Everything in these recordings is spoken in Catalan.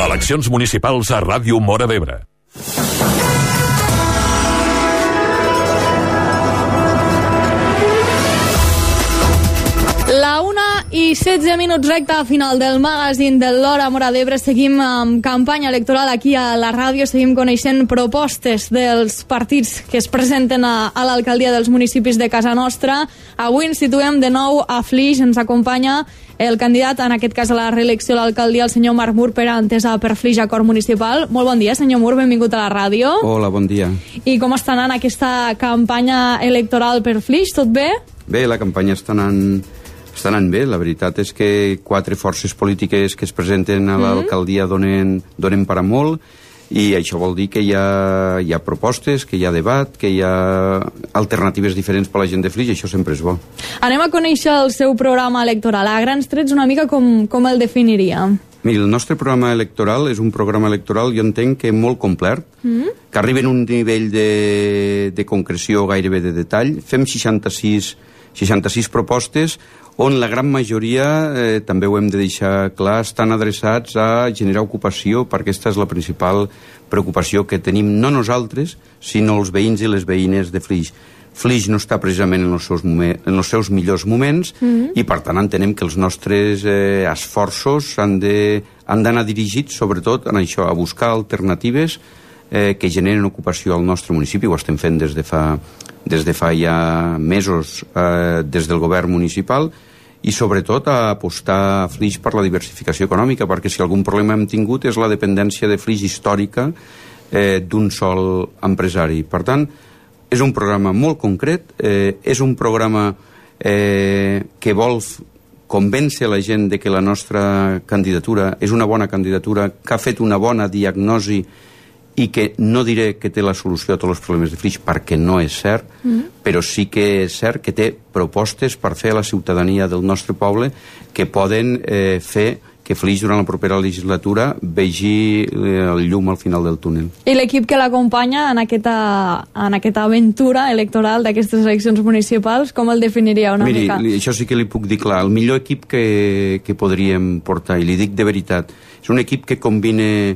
Eleccions municipals a Ràdio Móra d'Ebre. La 1:16, recta final del magazín de l'Hora Móra d'Ebre. Seguim amb campanya electoral aquí a la ràdio, seguim coneixent propostes dels partits que es presenten a l'alcaldia dels municipis de casa nostra. Avui ens situem de nou a Flix, ens acompanya el candidat, en aquest cas a la reelecció a l'alcaldia, el senyor Marc Mur, per a Entesa per Flix, Acord Municipal. Molt bon dia, senyor Mur, benvingut a la ràdio. Hola, bon dia. I com està anant aquesta campanya electoral per Flix? Tot bé? Bé, la campanya està anant bé. La veritat és que 4 forces polítiques que es presenten a l'alcaldia donen per a molt, i això vol dir que hi ha propostes, que hi ha debat, que hi ha alternatives diferents per a la gent de Flix, i això sempre és bo. Anem a conèixer el seu programa electoral. A grans trets, una mica com el definiria? Miri, el nostre programa electoral és un programa electoral, jo entenc que molt complet, que arriba en un nivell de concreció gairebé de detall. Fem 66 propostes, on la gran majoria, també ho hem de deixar clar, estan adreçats a generar ocupació, perquè aquesta és la principal preocupació que tenim, no nosaltres, sinó els veïns i les veïnes de Flix. Flix no està precisament en els seus millors moments, i per tant entenem que els nostres esforços han d'anar dirigits sobretot en això, a buscar alternatives que generen ocupació al nostre municipi. Ho estem fent des de fa ja mesos des del govern municipal, i sobretot a apostar a Flix per la diversificació econòmica, perquè si algun problema hem tingut és la dependència de Flix històrica d'un sol empresari. Per tant, és un programa molt concret, és un programa que vol convèncer la gent de que la nostra candidatura és una bona candidatura, que ha fet una bona diagnosi, i que no diré que té la solució a tots els problemes de Flix, perquè no és cert, però sí que és cert que té propostes per fer a la ciutadania del nostre poble que poden fer que Flix durant la propera legislatura vegi el llum al final del túnel. I l'equip que l'acompanya en aquesta aventura electoral d'aquestes eleccions municipals, com el definiria una mica? Miri, això sí que li puc dir clar. El millor equip que podríem portar, i li dic de veritat, és un equip que combina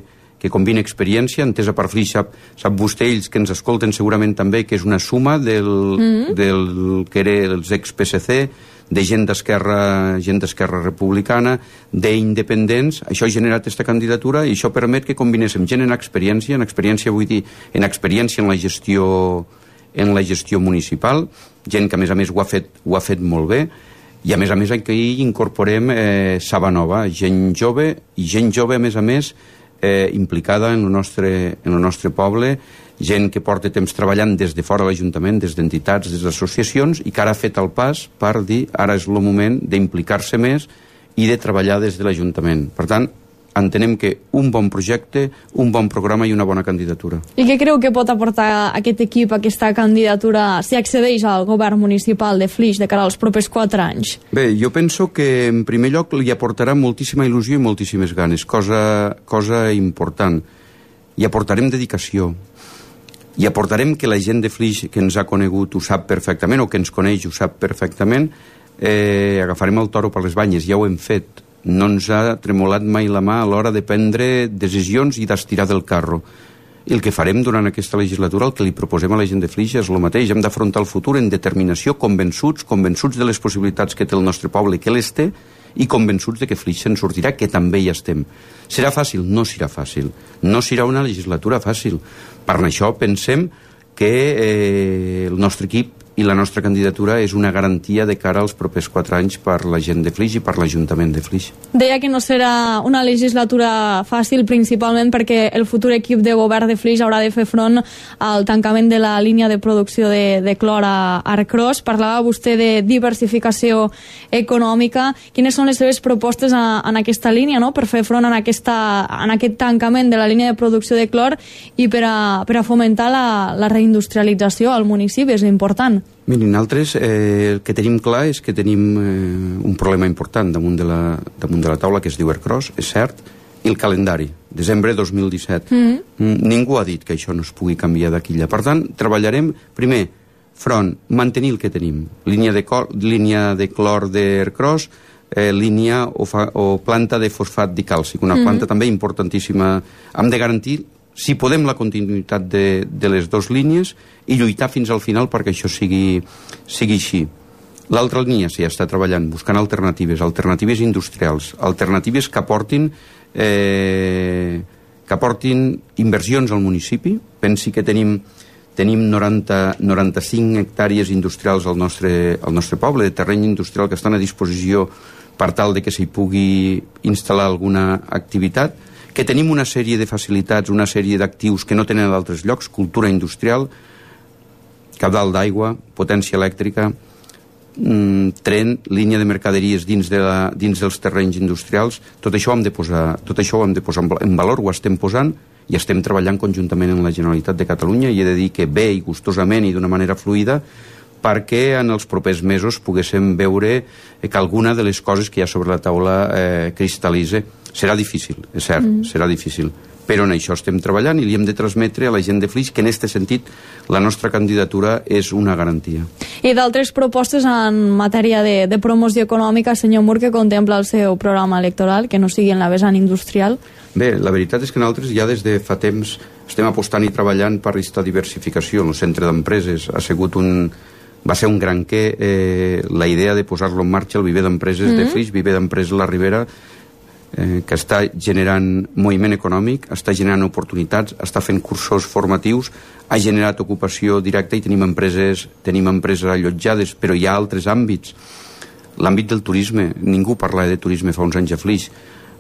experiència. Entesa per Flix, sap vostè, ells que ens escolten segurament també, que és una suma del que era els ex-PSC, de gent d'Esquerra Republicana, d'independents. Això ha generat aquesta candidatura, i això permet que combinéssim gent en experiència vull dir, en experiència en la gestió municipal, gent que a més ho ha fet molt bé, i a més aquí hi incorporem saba nova, gent jove, a més, implicada en el nostre poble, gent que porta temps treballant des de fora de l'Ajuntament, des d'entitats, des d'associacions, i que ara ha fet el pas per dir ara és el moment d'implicar-se més i de treballar des de l'Ajuntament. Per tant, entenem que un bon projecte, un bon programa i una bona candidatura. I què creu que pot aportar aquest equip, aquesta candidatura, si accedeix al govern municipal de Flix de cara als propers 4 anys? Bé, jo penso que en primer lloc li aportarà moltíssima il·lusió i moltíssimes ganes, cosa important. I aportarem dedicació. I aportarem que la gent de Flix que ens ha conegut ho sap perfectament, o que ens coneix ho sap perfectament. Agafarem el toro per les banyes, ja ho hem fet. No ens ha tremolat mai la mà a l'hora de prendre decisions i d'estirar del carro. I el que farem durant aquesta legislatura, el que li proposem a la gent de Flix és el mateix. Hem d'afrontar el futur en determinació, convençuts de les possibilitats que té el nostre poble, que les té, i convençuts de que Flix se'n sortirà, que també hi estem. Serà fàcil? No serà fàcil. No serà una legislatura fàcil. Per això pensem que el nostre equip i la nostra candidatura és una garantia de cara als propers 4 anys per la gent de Flix i per l'Ajuntament de Flix. Deia que no serà una legislatura fàcil, principalment perquè el futur equip de govern de Flix haurà de fer front al tancament de la línia de producció de clor a Arcros. Parlava vostè de diversificació econòmica. Quines són les seves propostes en aquesta línia, no?, per fer front en aquest tancament de la línia de producció de clor i per a fomentar la reindustrialització al municipi? És important. Mirin, nosaltres el que tenim clar és que tenim un problema important damunt de la taula, que es diu Arcros, és cert, i el calendari, desembre 2017. Ningú ha dit que això no es pugui canviar d'aquí allà. Per tant, treballarem, primer, mantenir el que tenim. Línia de clor d'Arcros, línia o planta de fosfat dicàlcic, una planta també importantíssima. Hem de garantir, si podem, la continuïtat de les dues línies i lluitar fins al final perquè això sigui així. L'altra línia s'hi està treballant, buscant alternatives industrials, alternatives que aportin inversions al municipi. Pensi que tenim 95 hectàrees industrials al nostre poble, de terreny industrial que estan a disposició per tal de que s'hi pugui instal·lar alguna activitat, que tenim una sèrie de facilitats, una sèrie d'actius que no tenen a d'altres llocs, cultura industrial, caudal d'aigua, potència elèctrica, tren, línia de mercaderies dins dels terrenys industrials. Tot això ho hem de posar en valor, ho estem posant i estem treballant conjuntament amb la Generalitat de Catalunya, i he de dir que bé i gustosament i d'una manera fluida, perquè en els propers mesos poguéssim veure que alguna de les coses que hi ha sobre la taula cristal·litza. Serà difícil, és cert, serà difícil, però en això estem treballant i li hem de transmetre a la gent de Flix que en aquest sentit la nostra candidatura és una garantia. I d'altres propostes en matèria de promoció econòmica, senyor Mur, que contempla el seu programa electoral, que no sigui en la vessant industrial? Bé, la veritat és que nosaltres ja des de fa temps estem apostant i treballant per aquesta diversificació. El centre d'empreses va ser un gran la idea de posar-lo en marxa, el viver d'empreses de Flix, viver d'empreses La Ribera, que està generant moviment econòmic, està generant oportunitats, està fent cursos formatius, ha generat ocupació directa i tenim empreses allotjades, però hi ha altres àmbits. L'àmbit del turisme, ningú parlava de turisme fa uns anys a Flix.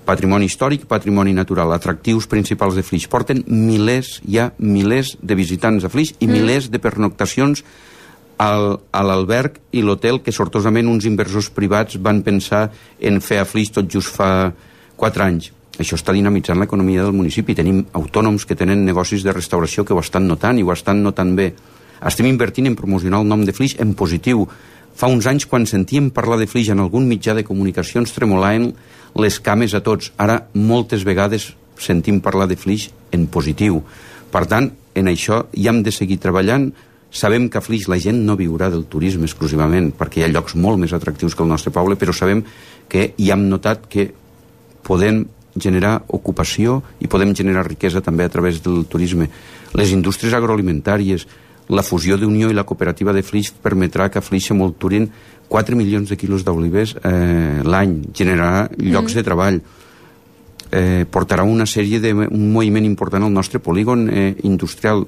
Patrimoni històric, patrimoni natural, atractius principals de Flix. Porten milers de visitants a Flix i milers de pernoctacions a l'alberg i l'hotel que sortosament uns inversors privats van pensar en fer a Flix tot just fa 4 anys. Això està dinamitzant l'economia del municipi. Tenim autònoms que tenen negocis de restauració que ho estan notant i ho estan notant bé. Estem invertint en promocionar el nom de Flix en positiu. Fa uns anys, quan sentíem parlar de Flix en algun mitjà de comunicació, ens tremolaven les cames a tots. Ara, moltes vegades sentim parlar de Flix en positiu. Per tant, en això hi hem de seguir treballant. Sabem que a Flix la gent no viurà del turisme exclusivament, perquè hi ha llocs molt més atractius que el nostre poble, però sabem que hi hem notat que podem generar ocupació i podem generar riquesa també a través del turisme. Les indústries agroalimentàries, la fusió d'Unió i la cooperativa de Flix permetrà que a Flix s'envolturin 4 milions de quilos d'olives l'any, generarà llocs de treball, portarà un moviment important al nostre polígon industrial.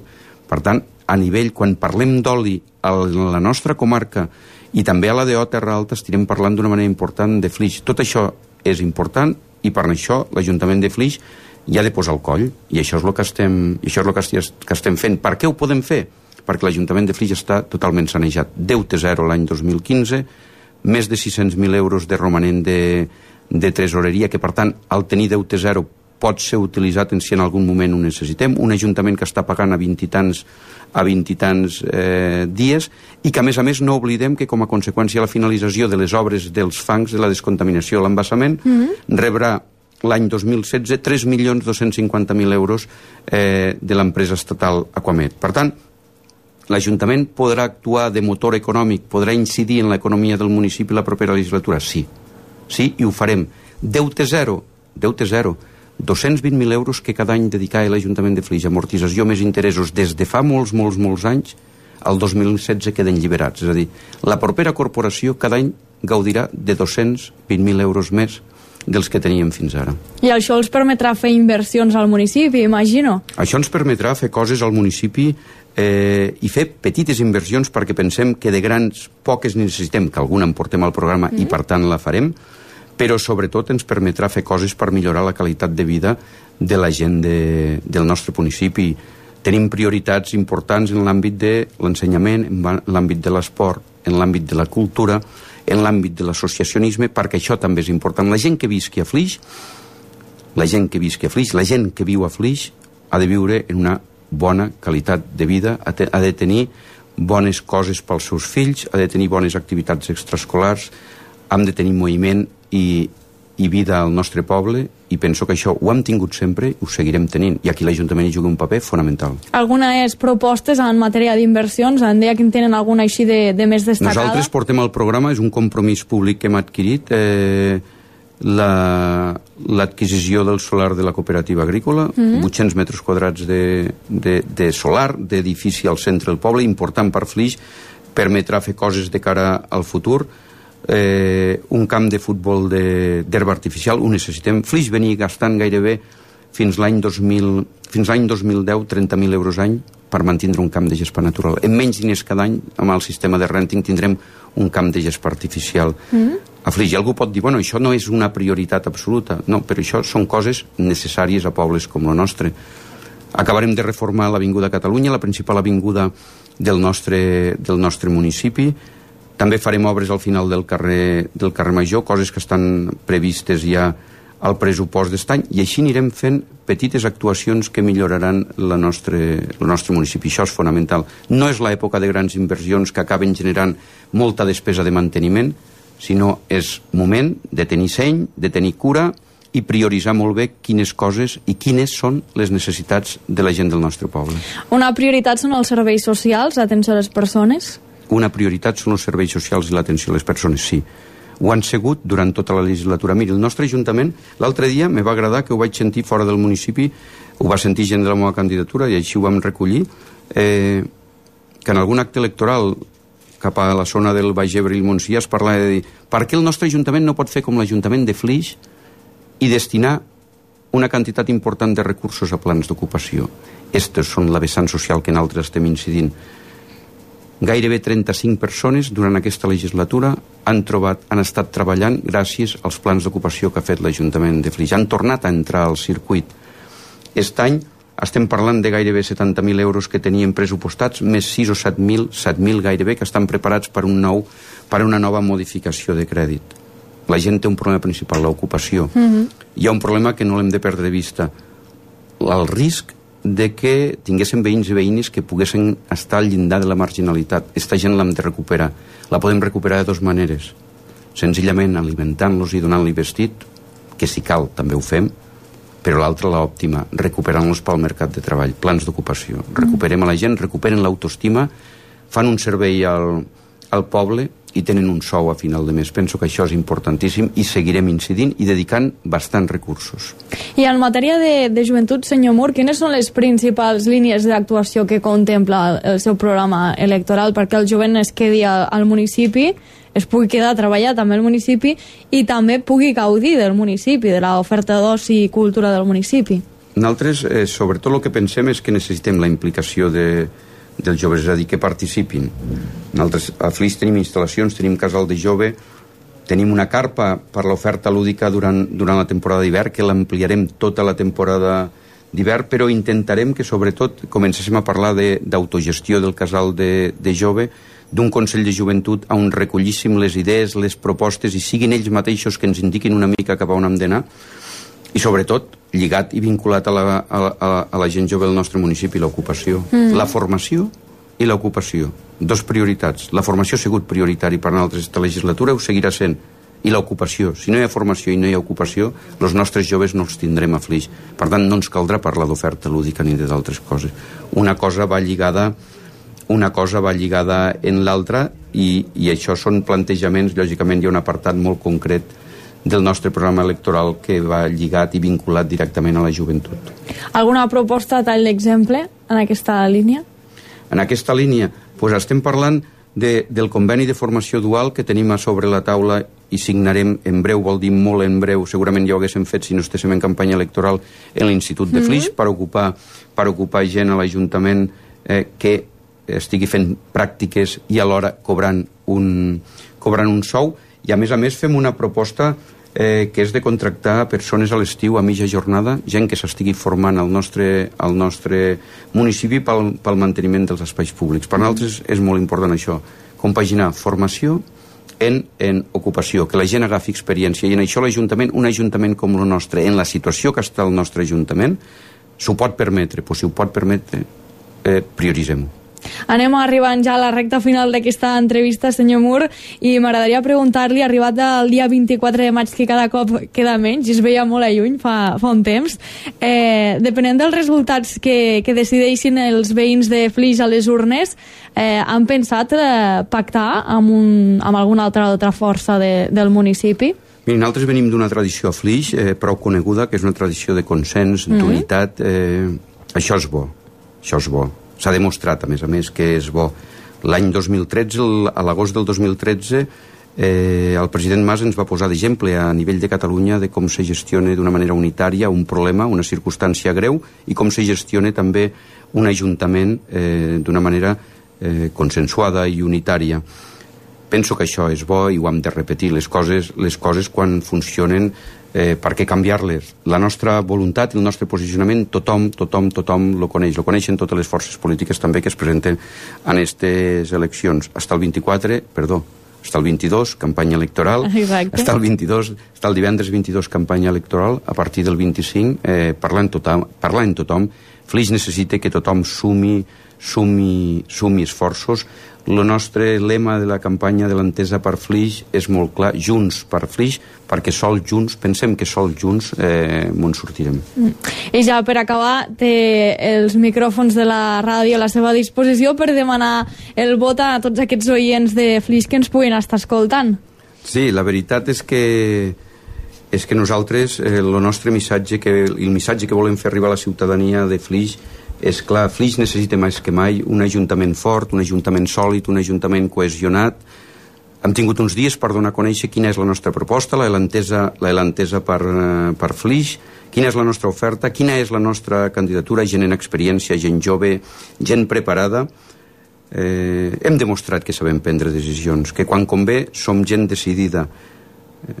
Per tant, a nivell, quan parlem d'oli a la nostra comarca i també a la d'O Terra Alta, estirem parlant d'una manera important de Flix. Tot això és important i per això l'Ajuntament de Flix hi ha de posar el coll, i això és el que estem fent. Per què ho podem fer? Perquè l'Ajuntament de Flix està totalment sanejat. Deute zero l'any 2015, més de 600.000 euros de romanent de tresoreria, que per tant, al tenir deute zero pot ser utilitzat si en algun moment ho necessitem. Un Ajuntament que està pagant a 20 i tants dies, i que a més no oblidem que com a conseqüència de la finalització de les obres dels fangs, de la descontaminació, l'embassament, rebrà l'any 2016 3.250.000 euros de l'empresa estatal Aquamed. Per tant, l'Ajuntament podrà actuar de motor econòmic, podrà incidir en l'economia del municipi la propera legislatura? Sí, i ho farem. Deute zero, 220.000 euros que cada any dedicava l'Ajuntament de Flix, amortització més interessos des de fa molts anys, al 2016 queden lliberats. És a dir, la propera corporació cada any gaudirà de 220.000 euros més dels que teníem fins ara. I això els permetrà fer inversions al municipi, imagino? Això ens permetrà fer coses al municipi i fer petites inversions, perquè pensem que de grans poques necessitem, que alguna en portem al programa i per tant la farem, però sobretot ens permetrà fer coses per millorar la qualitat de vida de la gent del nostre municipi. Tenim prioritats importants en l'àmbit de l'ensenyament, en l'àmbit de l'esport, en l'àmbit de la cultura, en l'àmbit de l'associacionisme, perquè això també és important. La gent que visqui a Flix, la gent que viu a Flix ha de viure en una bona qualitat de vida, ha de tenir bones coses pels seus fills, ha de tenir bones activitats extraescolars, hem de tenir moviment i i vida al nostre poble, i penso que això ho hem tingut sempre i ho seguirem tenint, i aquí l'Ajuntament hi juga un paper fonamental. Algunes propostes en matèria d'inversions, en deia que en tenen alguna així de més destacada? Nosaltres portem al programa, és un compromís públic que hem adquirit, l'adquisició del solar de la cooperativa agrícola, 800 metres quadrats de solar, d'edifici al centre del poble, important per Flix, permetrà fer coses de cara al futur, un camp de futbol d'herba artificial, ho necessitem. Flix venia gastant gairebé fins l'any 2010 30.000 euros any per mantindre un camp de gespa natural. En menys diners cada any, amb el sistema de renting, tindrem un camp de gespa artificial a Flix. I algú pot dir, bueno, això no és una prioritat absoluta. No, però això són coses necessàries a pobles com el nostre. Acabarem de reformar l'Avinguda Catalunya, la principal avinguda del nostre municipi. També farem obres al final del carrer Major, coses que estan previstes ja al pressupost d'estany, i així anirem fent petites actuacions que milloraran el nostre municipi. Això és fonamental. No és l'època de grans inversions que acaben generant molta despesa de manteniment, sinó és moment de tenir seny, de tenir cura i prioritzar molt bé quines coses i quines són les necessitats de la gent del nostre poble. Una prioritat són els serveis socials, l'atenció a les persones? Una prioritat són els serveis socials i l'atenció a les persones, sí. Ho han sigut durant tota la legislatura. Miri, el nostre Ajuntament, l'altre dia me va agradar que ho vaig sentir fora del municipi, ho va sentir gent de la meva candidatura i així ho vam recollir, que en algun acte electoral cap a la zona del Baix Ebre i el Montsià es parlava de dir per què el nostre Ajuntament no pot fer com l'Ajuntament de Flix i destinar una quantitat important de recursos a plans d'ocupació. Estes són la vessant social que nosaltres estem incidint. Gairebé 35 persones durant aquesta legislatura han estat treballant gràcies als plans d'ocupació que ha fet l'Ajuntament de Flix. Han tornat a entrar al circuit. Aquest any estem parlant de gairebé 70.000 euros que teníem pressupostats, més 6 o 7.000 gairebé, que estan preparats per una nova modificació de crèdit. La gent té un problema principal, l'ocupació. Hi ha un problema que no l'hem de perdre de vista. El risc de que tinguéssim veïns i veïnes que poguessin estar al llindar de la marginalitat. Aquesta gent l'hem de recuperar. La podem recuperar de dues maneres. Senzillament alimentant-los i donant-li vestit, que si cal també ho fem, però l'altra, l'òptima, recuperant-los pel mercat de treball, plans d'ocupació. Recuperem a la gent, recuperen l'autoestima, fan un servei al poble i tenen un sou a final de mes. Penso que això és importantíssim i seguirem incidint i dedicant bastants recursos. I en matèria de joventut, senyor Mur, quines són les principals línies d'actuació que contempla el seu programa electoral perquè el jovent es quedi al municipi, es pugui quedar a treballar també al municipi i també pugui gaudir del municipi, de l'oferta d'oci i cultura del municipi? Nosaltres, sobretot el que pensem és que necessitem la implicació dels joves, és a dir, que participin. Nosaltres a Flix tenim instal·lacions, tenim casal de jove, tenim una carpa per l'oferta lúdica durant la temporada d'hivern, que l'ampliarem tota la temporada d'hivern, però intentarem que sobretot comencéssim a parlar d'autogestió del casal de jove, d'un Consell de Joventut on recollíssim les idees, les propostes i siguin ells mateixos que ens indiquin una mica cap a on hem d'anar, i sobretot lligat i vinculat a la gent jove del nostre municipi, l'ocupació. La formació i l'ocupació. Dos prioritats. La formació ha sigut prioritari per nosaltres aquesta legislatura, ho seguirà sent. I l'ocupació. Si no hi ha formació i no hi ha ocupació, els nostres joves no els tindrem a Flix. Per tant, no ens caldrà parlar d'oferta lúdica ni d'altres coses. Una cosa va lligada en l'altra i això són plantejaments, lògicament hi ha un apartat molt concret del nostre programa electoral que va lligat i vinculat directament a la joventut. Alguna proposta a tall d'exemple en aquesta línia? En aquesta línia, doncs estem parlant del conveni de formació dual que tenim a sobre la taula i signarem en breu, vol dir molt en breu, segurament ja ho haguéssim fet si no estéssim en campanya electoral en l'Institut de Flix per ocupar gent a l'Ajuntament que estigui fent pràctiques i alhora cobrant un sou, i a més fem una proposta que és de contractar persones a l'estiu a mitja jornada, gent que s'estigui formant al nostre municipi pel manteniment dels espais públics. Per nosaltres és molt important això, compaginar formació en ocupació, que la gent agafi experiència, i en això l'Ajuntament, un ajuntament com el nostre, en la situació que està el nostre Ajuntament, s'ho pot permetre, però si ho pot permetre, prioritzem-ho. Anem arribant ja a la recta final d'aquesta entrevista, senyor Mur, i m'agradaria preguntar-li, arribat el dia 24 de maig, que cada cop queda menys, i es veia molt a lluny fa un temps, depenent dels resultats que decideixin els veïns de Flix a les urnes, han pensat pactar amb alguna altra força del municipi? Mira, nosaltres venim d'una tradició a Flix prou coneguda, que és una tradició de consens, d'unitat. Això és bo, això és bo. S'ha demostrat, a més, que és bo. L'any 2013, a l'agost del 2013, el president Mas ens va posar d'exemple a nivell de Catalunya de com se gestiona d'una manera unitària un problema, una circumstància greu, i com se gestiona també un ajuntament d'una manera consensuada i unitària. Penso que això és bo i ho hem de repetir. Les coses quan funcionen, per què canviar-les? La nostra voluntat i el nostre posicionament tothom lo coneix. Lo coneixen totes les forces polítiques també que es presenten en aquestes eleccions. Està el 22, campanya electoral. Exacte. Està el divendres 22, campanya electoral. A partir del 25, parlar en tothom. Flix necessita que tothom sumi esforços. El nostre lema de la campanya de l'Entesa per Flix és molt clar, Junts per Flix, perquè pensem que sols junts m'on sortirem. I ja per acabar, té els micròfons de la ràdio a la seva disposició per demanar el vot a tots aquests oients de Flix que ens puguin estar escoltant. Sí, la veritat és que nosaltres, el nostre missatge, el missatge que volem fer arribar a la ciutadania de Flix és clar, Flix necessita més que mai un ajuntament fort, un ajuntament sòlid, un ajuntament cohesionat. Hem tingut uns dies per donar a conèixer quina és la nostra proposta, l'Elantesa per Flix, quina és la nostra oferta, quina és la nostra candidatura, gent en experiència, gent jove, gent preparada. Hem demostrat que sabem prendre decisions, que quan convé som gent decidida.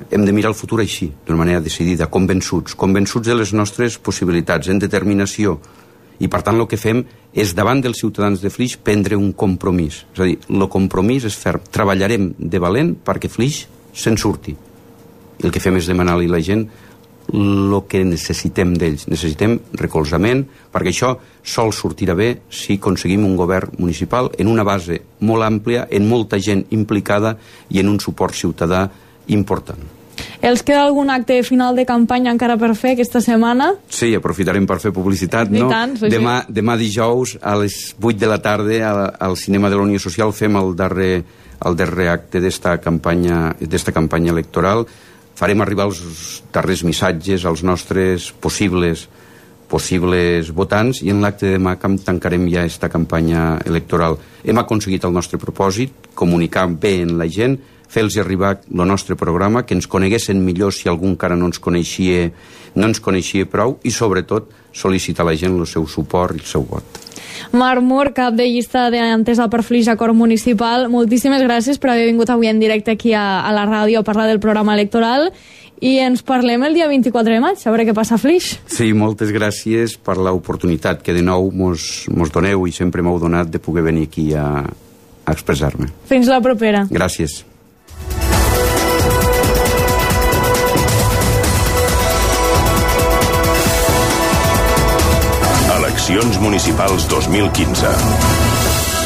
Hem de mirar el futur així, d'una manera decidida, convençuts de les nostres possibilitats, en determinació. I per tant el que fem és davant dels ciutadans de Flix prendre un compromís. És a dir, el compromís és ferm. Treballarem de valent perquè Flix se'n surti. I el que fem és demanar-li a la gent el que necessitem d'ells. Necessitem recolzament, perquè això sol sortirà bé si aconseguim un govern municipal en una base molt àmplia, en molta gent implicada i en un suport ciutadà important. Els queda algun acte final de campanya encara per fer aquesta setmana? Sí, aprofitarem per fer publicitat, no? Tant, sí. Demà dijous a les 8 de la tarda al Cinema de la Unió Social fem el darrer acte d'esta campanya electoral. Farem arribar els darrers missatges als nostres possibles votants i en l'acte de demà tancarem ja aquesta campanya electoral. Hem aconseguit el nostre propòsit, comunicar bé en la gent, fer-los arribar el nostre programa, que ens coneguessin millor si algú encara no ens coneixia prou i sobretot sol·licitar a la gent el seu suport i el seu vot. Marc Mur, cap de llista d'Entesa per Flix, acord municipal, moltíssimes gràcies per haver vingut avui en directe aquí a la ràdio a parlar del programa electoral i ens parlem el dia 24 de maig, a veure què passa a Flix. Sí, moltes gràcies per l'oportunitat que de nou mos doneu i sempre m'heu donat de poder venir aquí a expressar-me. Fins la propera. Gràcies. Eleccions municipals 2015.